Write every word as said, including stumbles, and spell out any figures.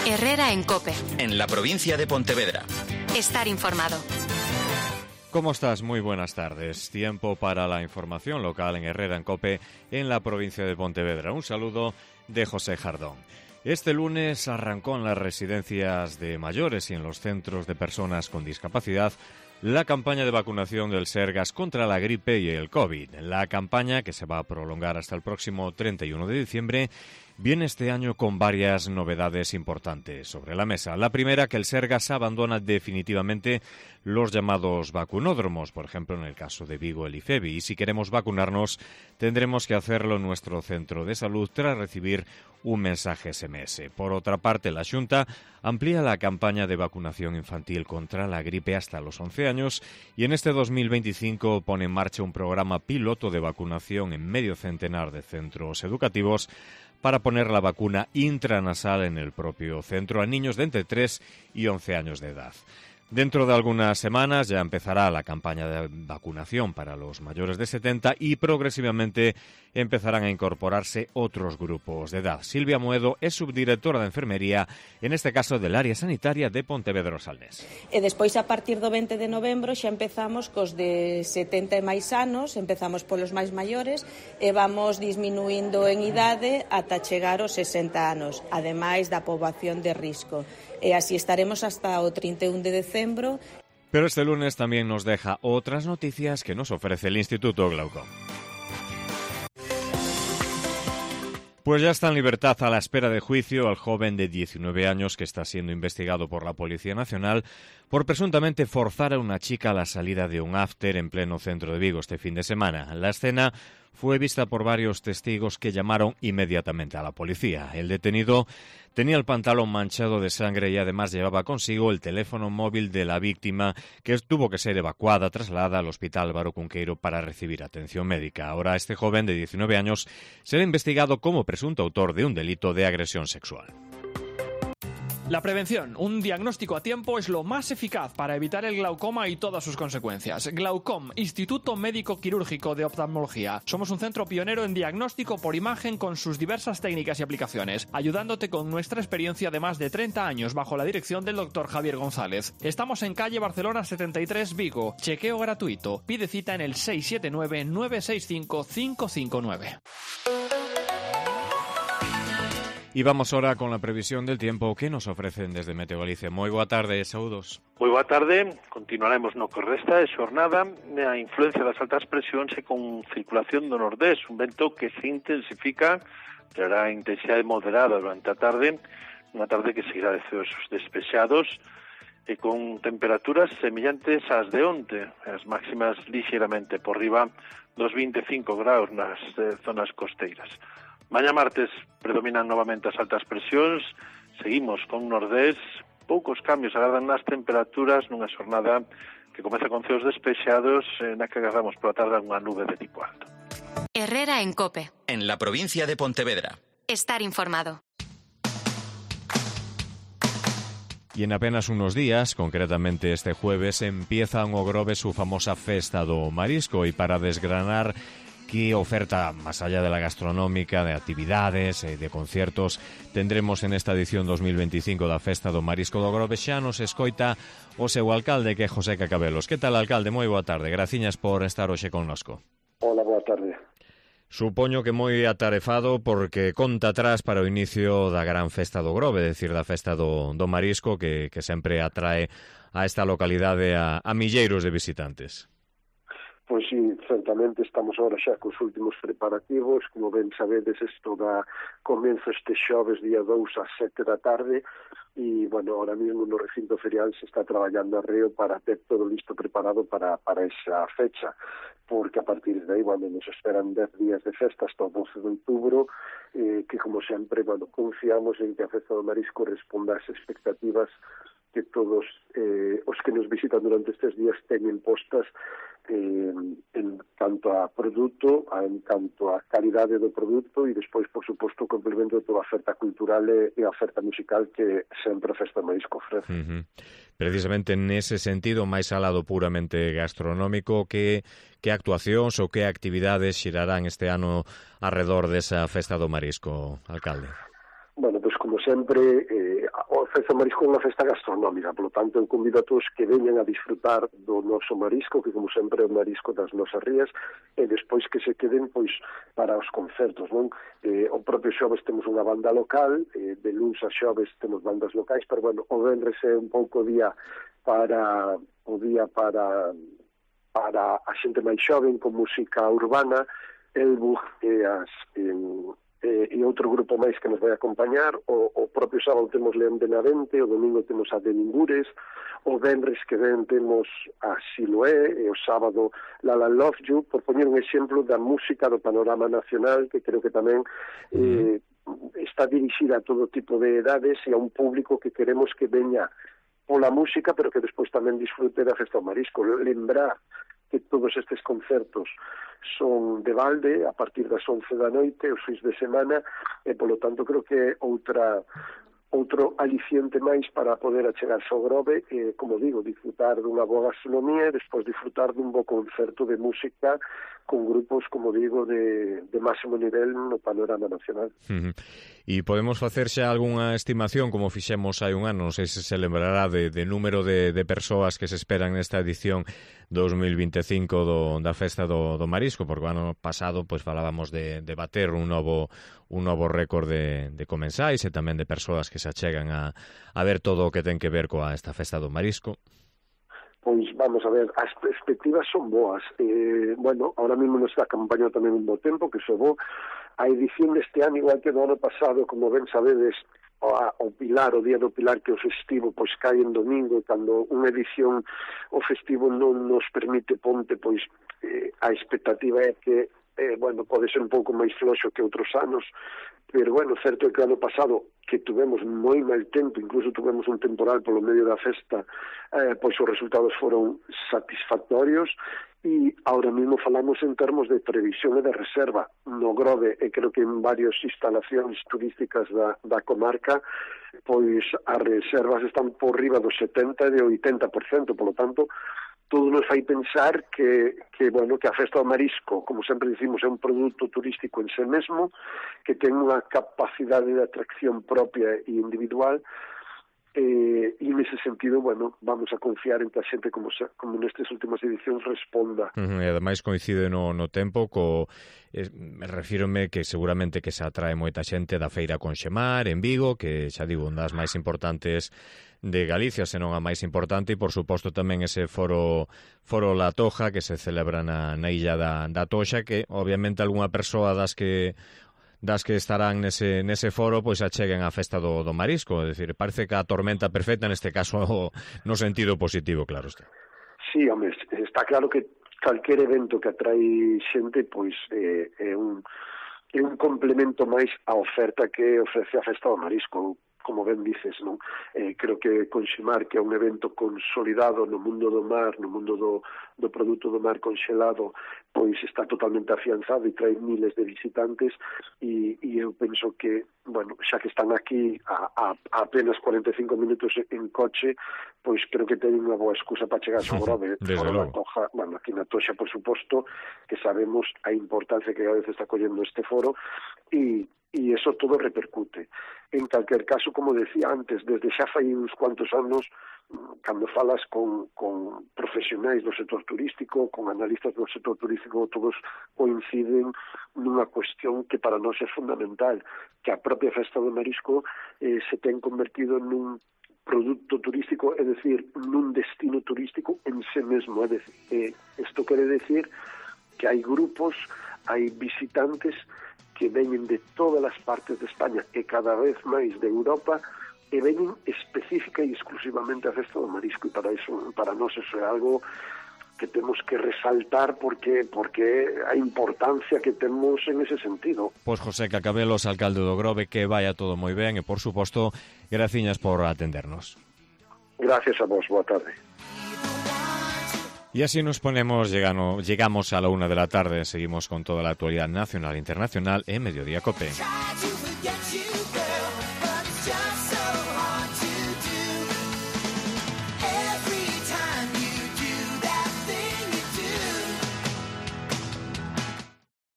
Herrera en COPE. En la provincia de Pontevedra. Estar informado. ¿Cómo estás? Muy buenas tardes. Tiempo para la información local en Herrera en COPE, en la provincia de Pontevedra. Un saludo de José Jardón. Este lunes arrancó en las residencias de mayores y en los centros de personas con discapacidad la campaña de vacunación del Sergas contra la gripe y el COVID. La campaña, que se va a prolongar hasta el próximo treinta y uno de diciembre, viene este año con varias novedades importantes sobre la mesa. La primera, que el Sergas abandona definitivamente los llamados vacunódromos, por ejemplo en el caso de Vigo el IFEBI, y si queremos vacunarnos tendremos que hacerlo en nuestro centro de salud tras recibir un mensaje ese eme ese. Por otra parte, la Xunta amplía la campaña de vacunación infantil contra la gripe hasta los once años y en este dos mil veinticinco pone en marcha un programa piloto de vacunación en medio centenar de centros educativos para poner la vacuna intranasal en el propio centro a niños de entre tres y once años de edad. Dentro de algunas semanas ya empezará la campaña de vacunación para los mayores de setenta y progresivamente empezarán a incorporarse otros grupos de edad. Silvia Moedo es subdirectora de enfermería, en este caso del área sanitaria de Pontevedra Salnés. E despois, a partir do veinte de novembro, xa empezamos cos de setenta e máis anos, empezamos polos máis maiores e vamos disminuindo en idade ata chegar aos sesenta anos, ademais da poboación de risco. E así estaremos hasta o trinta e un de decembro. Pero este lunes también nos deja otras noticias que nos ofrece el Instituto Glaucom. Pues ya está en libertad a la espera de juicio al joven de diecinueve años que está siendo investigado por la Policía Nacional por presuntamente forzar a una chica a la salida de un after en pleno centro de Vigo este fin de semana. La escena fue vista por varios testigos que llamaron inmediatamente a la policía. El detenido tenía el pantalón manchado de sangre y además llevaba consigo el teléfono móvil de la víctima, que tuvo que ser evacuada, trasladada al Hospital Álvaro Cunqueiro para recibir atención médica. Ahora este joven de diecinueve años será investigado como presunto autor de un delito de agresión sexual. La prevención, un diagnóstico a tiempo, es lo más eficaz para evitar el glaucoma y todas sus consecuencias. Glaucom, Instituto Médico Quirúrgico de Oftalmología. Somos un centro pionero en diagnóstico por imagen con sus diversas técnicas y aplicaciones, ayudándote con nuestra experiencia de más de treinta años bajo la dirección del doctor Javier González. Estamos en calle Barcelona setenta y tres, Vigo. Chequeo gratuito. Pide cita en el seis siete nueve, nueve seis cinco, cinco cinco nueve. Y vamos ahora con la previsión del tiempo que nos ofrecen desde Meteo Galicia. Moi boa tarde, saúdos. Moi boa tarde, continuaremos no que resta de xornada a influencia das altas presións e con circulación do nordés, un vento que se intensifica, terá intensidade moderada durante a tarde, unha tarde que seguirá de ceos despexados e con temperaturas semellantes ás de onte, as máximas lixeiramente por riba dos vinte e cinco graus nas eh, zonas costeiras. Mañá martes predominan novamente as altas presións, seguimos con nordés, poucos cambios agardan nas temperaturas nunha xornada que comeza con ceos despexados na que agarramos pola tarde unha nube de tipo alto. Herrera en COPE. En la provincia de Pontevedra. Estar informado. Y en apenas unos días, concretamente este jueves, empieza en Ogrove su famosa Festa do Marisco, y para desgranar qué oferta, más allá de la gastronómica, de actividades, eh, de conciertos, tendremos en esta edición dos mil veinticinco da Festa do Marisco do Ogrove. Xa nos escoita o seu alcalde, que é José Cacabelos. Que tal, alcalde? Moi boa tarde. Graciñas por estar hoxe connosco. Hola, boa tarde. Supoño que moi atarefado porque conta atrás para o inicio da gran Festa do Ogrove, é dicir, da Festa do, do Marisco, que, que sempre atrae a esta localidade a, a milleiros de visitantes. Pois sí, certamente estamos ahora xa cos últimos preparativos, como ben sabedes, isto da comenzo este xoves día dous ás sete da tarde, e, bueno, ahora mesmo no recinto ferial se está traballando arreo para ter todo listo preparado para, para esa fecha, porque a partir de aí, bueno, nos esperan dez días de festa hasta o doce de outubro, eh, que, como sempre, bueno, confiamos en que a Festa do Marisco responda ás expectativas que todos eh, os que nos visitan durante estes días teñen postas eh, en tanto a produto, a, en tanto a calidade do produto e despois, por suposto, o complemento de toda a oferta cultural e, e a oferta musical que sempre a Festa do Marisco ofrece. Uh-huh. Precisamente nese sentido, máis alado puramente gastronómico, que, que actuacións ou que actividades xirarán este ano arredor desa Festa do Marisco, alcalde? Bueno, pois como sempre, eh, o Festa do Marisco é unha festa gastronómica, polo tanto, eu convido a todos que veñan a disfrutar do noso marisco, que como sempre é o marisco das nosas rías, e despois que se queden, pois, para os concertos, non? Eh, o propio xoves temos unha banda local, eh, de luns a xoves temos bandas locais, pero, bueno, o venres é un pouco día para, o día para, para a xente máis xoven, con música urbana, el bug e as... En, Eh, e outro grupo máis que nos vai acompañar. O, o propio sábado temos León de Navente, o domingo temos a de Ningures, o venres que ven temos a Siloé, e o sábado Lala Love You, por poñer un exemplo da música do panorama nacional, que creo que tamén eh, está dirixida a todo tipo de edades e a un público que queremos que veña pola música, pero que despois tamén disfrute da Festa do Marisco. Lembrar que todos estes concertos son de balde a partir das once da noite, os fins de semana, e polo tanto creo que outra outro aliciente máis para poder achegarse ao Grove e, como digo, disfrutar dunha boa gastronomía e despois disfrutar dun bo concerto de música con grupos, como digo, de, de máximo nivel no panorama nacional. Uh-huh. E podemos facer xa algunha estimación, como fixemos hai un ano, non sei se se lembrará de, de número de, de persoas que se esperan nesta edición dos mil vinte e cinco do, da Festa do, do Marisco, porque o ano pasado pois falábamos de, de bater un novo un novo récord de, de comensais e tamén de persoas que se achegan a, a ver todo o que ten que ver coa esta Festa do Marisco. Pois vamos a ver, as perspectivas son boas. Eh, bueno, ahora mesmo nos está acompañando tamén un bo tempo, que se bo. A edición deste ano, igual que do ano pasado, como ben sabedes, o, o Pilar, o Día do Pilar, que o festivo, pois cae en domingo, e cando unha edición o festivo non nos permite ponte, pois eh, a expectativa é que Eh, bueno, pode ser un pouco máis floxo que outros anos, pero, bueno, certo é que ano pasado, que tuvemos moi mal tempo, incluso tuvemos un temporal polo medio da festa, eh, pois os resultados foron satisfactorios, e ahora mesmo falamos en termos de previsión e de reserva no Grove, e creo que en varias instalacións turísticas da, da comarca, pois as reservas están por riba do setenta e do oitenta por cento, polo tanto, todo nos fai pensar que, que, bueno, que a Festa do Marisco, como sempre dicimos, é un produto turístico en sí mesmo, que ten unha capacidade de atracción propia e individual, eh, e nese sentido, bueno, vamos a confiar en que a xente, como, se, como nestes últimas edicións, responda. Uh-huh, e ademais coincide no, no tempo co... Eh, refírome que seguramente que se atrae moita xente da Feira Conxemar en Vigo, que xa digo, unha das máis importantes de Galicia, senón a máis importante, e por suposto tamén ese foro foro La Toja que se celebra na, na illa da, da Toxa, que obviamente algunha persoa das que das que estarán nese, nese foro pois acheguen a Festa do, do Marisco, é dicir, parece que a tormenta perfecta neste caso no sentido positivo, claro está. Sí, home, está claro que calquer evento que atrae xente pois eh, é un é un complemento máis á oferta que ofrece a Festa do Marisco. Como ben dices, non? Eh, creo que Conxemar, que é un evento consolidado no mundo do mar, no mundo do, do produto do mar conxelado, pois está totalmente afianzado e trae miles de visitantes, e, e eu penso que, bueno, xa que están aquí a, a, a apenas cuarenta e cinco minutos en coche, pois creo que teñen unha boa excusa para chegar ao Grove. Desde logo. Toja, bueno, aquí na Toxa, por suposto, que sabemos a importancia que a veces está collendo este foro, e e eso todo repercute. En calquer caso, como decía antes, desde xa fai uns cuantos anos, cando falas con, con profesionais do sector turístico, con analistas do sector turístico, todos coinciden nunha cuestión que para nós é fundamental, que a propia Festa do Marisco eh, se ten convertido nun produto turístico, é dicir, nun destino turístico en sí mesmo. É dicir, eh, isto quere decir que hai grupos, hai visitantes que veñen de todas as partes de España e cada vez máis de Europa, e veñen específica e exclusivamente a Festa do Marisco, e para iso, para nós eso é algo que temos que resaltar porque porque a importancia que temos en ese sentido. Pois José Cacabelos, alcalde do Grove, que vaya todo moi ben e, por suposto, graciñas por atendernos. Gracias a vos, boa tarde. Y así nos ponemos, llegano, llegamos a la una de la tarde, seguimos con toda la actualidad nacional e internacional en Mediodía Cope.